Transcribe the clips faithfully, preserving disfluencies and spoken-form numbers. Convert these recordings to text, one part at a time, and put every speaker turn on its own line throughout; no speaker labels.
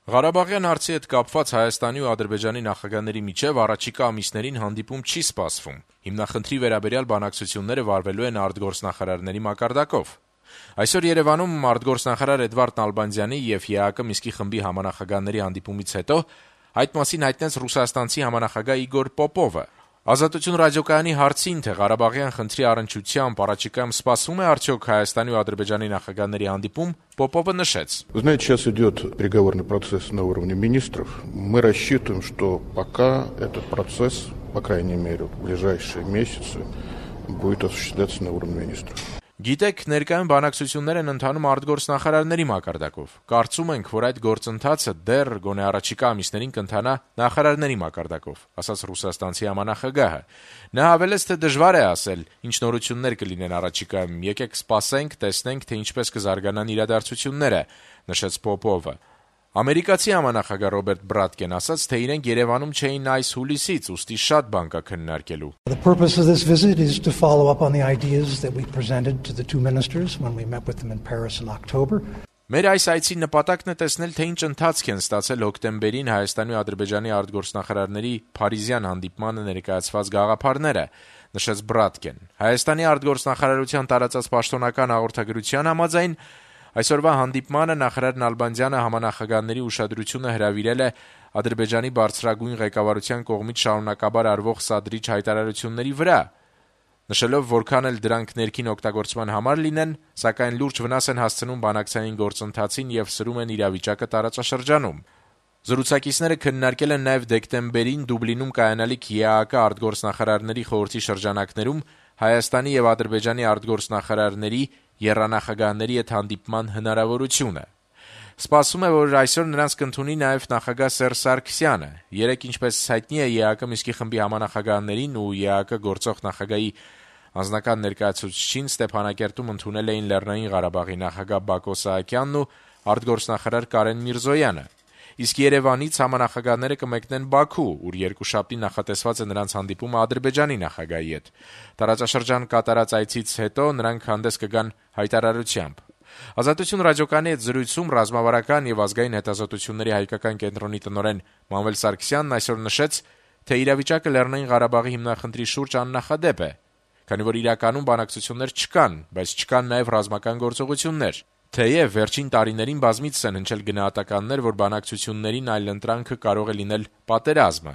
Ղարաբաղյան հարցի հետ կապված Հայաստանի ու Ադրբեջանի նախագահների միջև առաջիկա ամիսներին հանդիպում չի սպասվում։ Հիմնախնդրի վերաբերյալ բանակցությունները վարվելու են արտգործնախարարների մակարդակով։ Այսօր Երևանում արտգործնախարար Էդվարդ Նալբանդյանի եւ ԵԱԿ Մինսկի խմբի համանախագահների հանդիպումից հետո այդ մասին հայտնեց ռուսաստանցի համանախագահ Իգոր Պոպովը։ Ազատություն ռադիոկայանի հարցին, թե Ղարաբաղյան խնդրի առնչությամբ առաջիկայում սպասվում է արդյոք Հայաստանի ու Ադրբեջանի նախագահների հանդիպում, Պոպովը նշեց.
Вы знаете, сейчас идет переговорный процесс на уровне министров. Мы рассчитываем, что пока этот процесс, по крайней мере, в ближайшие месяцы, будет осуществляться на уровне министров.
Գիտեք, ներկայում բանակցություններ են ընթանում արտգործնախարարների մակարդակով։ Կարծում ենք, որ այդ գործընթացը դեռ գոնե առաջիկա ամիսներին կընթանա նախարարների մակարդակով, ասաց ռուսաստանցի համանախագահը։ Նա հավելեց, թե դժվար է ասել, ինչ նորություններ կլինեն առաջիկայում, եկեք սպասենք, տեսնենք, թե ինչպես կզարգանան իրադարձությունները, նշեց Պոպովը։ Ամերիկացի համանախագահ Ռոբերտ Բրատկեն ասաց, թե իրենք Երևանում չէին այս հուլիսից, ուստի շատ բան կա քննարկելու։
The purpose of this visit is to follow up on the ideas that we presented to the two ministers when we met with them in Paris in October.
Մեր այս այցի նպատակն է տեսնել, թե ինչ ընթացք են ստացել հոկտեմբերին Հայաստանի ու Ադրբեջանի արտգործնախարարների Փարիզյան հանդիպմանը ներկայացված գաղափարները, նշեց Բրատկեն։ Հայաստանի արտգործնախարարության տարածած պաշտոնական հաղորդագրության համաձայն այսօրվա հանդիպմանը նախարար Նալբանդյանը համանախագահների ուշադրությունը հրավիրել է Ադրբեջանի բարձրագույն ղեկավարության կողմից շարունակաբար արվող սադրիչ հայտարարությունների վրա, նշելով, որքան էլ դրանք ներքին օգտագործման համար լինեն, սակայն լուրջ վնաս են հասցնում բանակցային գործընթացին եւ սրում են իրավիճակը տարածաշրջանում։ Զրուցակիցները քննարկել են նաեւ դեկտեմբերին Դուբլինում կայանալիք ԵԱԿ արտգործնախարարների խորհրդի շրջանակներում Հայաստանի եւ Ադրբեջանի արտգործնախարարների եռանախագահների հետ հանդիպման հնարավորությունը։ Սպասվում է, որ այսօր նրանց կընդունի նաև նախագահ Սերժ Սարգսյանը։ Երեկ, ինչպես հայտնի է, ԵԱԿ Մինսկի խմբի համանախագահներին ու ԵԱԿ գործող նախագահի անձնական ներկայացուցչին Ստեփանակերտում ընդունել էին Լեռնային Ղարաբաղի նախագահ Բակո Սահակյանն ու արտգործնախարար Կարեն Միրզոյանը։ Իսկ Երևանից համանախագահները կմեկնեն Բաքու, ուր երկուշաբթի նախատեսված է նրանց հանդիպումը Ադրբեջանի նախագահի հետ։ Տարածաշրջան կատարած այցից հետո նրանք հանդես կգան հայտարարությամբ։ Ազատություն ռադիոկայանի հետ զրույցում ռազմավարական եւ ազգային հետազոտությունների հայկական կենտրոնի տնօրեն Մանվել Սարգսյանն այսօր նշեց, թե իրավիճակը Լեռնային Ղարաբաղի հիմնախնդրի շուրջ աննախադեպ է, քանի որ իրականում բանակցություններ չկան, բայց չկան նաեւ ռազմական գործողություններ։ Թեև վերջին տարիներին բազմիցս են հնչել գնահատականներ, որ բանակցություններին այլընտրանքը կարող է լինել պատերազմը։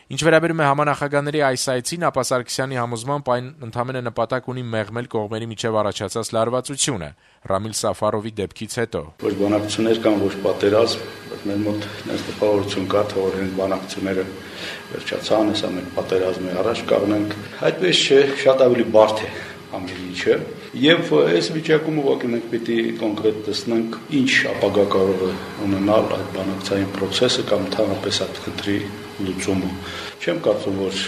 Ինչ վերաբերում է համանախագահների այս այցին, ապա Սարգսյանի համոզմամբ այն ընդամենը նպատակ ունի մեղմել կողմերի միջև առաջացած լարվածությունը Ռամիլ Սաֆարովի դեպքից հետո։
Ոչ բանակցություններ կան, ոչ պատերազմ, բայց մեր մոտ այս տպավորություն կա, թե որ այն բանակցությունները վերջացան, հեսա մենք պատերազմի առաջ կանգնենք։ Այդպես չէ, շատ ավելի բարդ է ամեն ինչը, եւ այս վիճակում ուղղակի մենք պիտի կոնկրետ տեսնենք ինչ ապագա կարող է ունենալ այդ բանակցային process-ը կամ ընդհանրապես այդ խնդրի լուծումը։ Չեմ կարծում, որ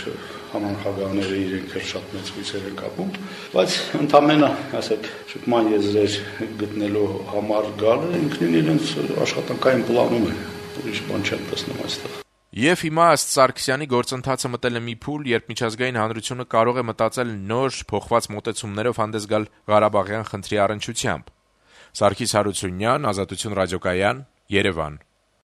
համանախագահները իրենք էլ շատ մեծ հույսեր են կապում, բայց ընդամենը, ասեք, շփման եզրեր գտնելու համար գալը ինքնին իրենց աշխատանքային պլանում է, ուրիշ բան չեմ տեսնում այստեղ։
Եվ հիմա ըստ Սարգսյանի գործընթացը մտել է մի փուլ, երբ միջազգային հանրությունը կարող է մտածել նոր փոխված մոտեցումներով հանդես գալ Ղարաբաղյան խնդրի առնչությամբ։ Սարգիս Հարությունյան, Ազատություն ռադիոկայան, Երևան։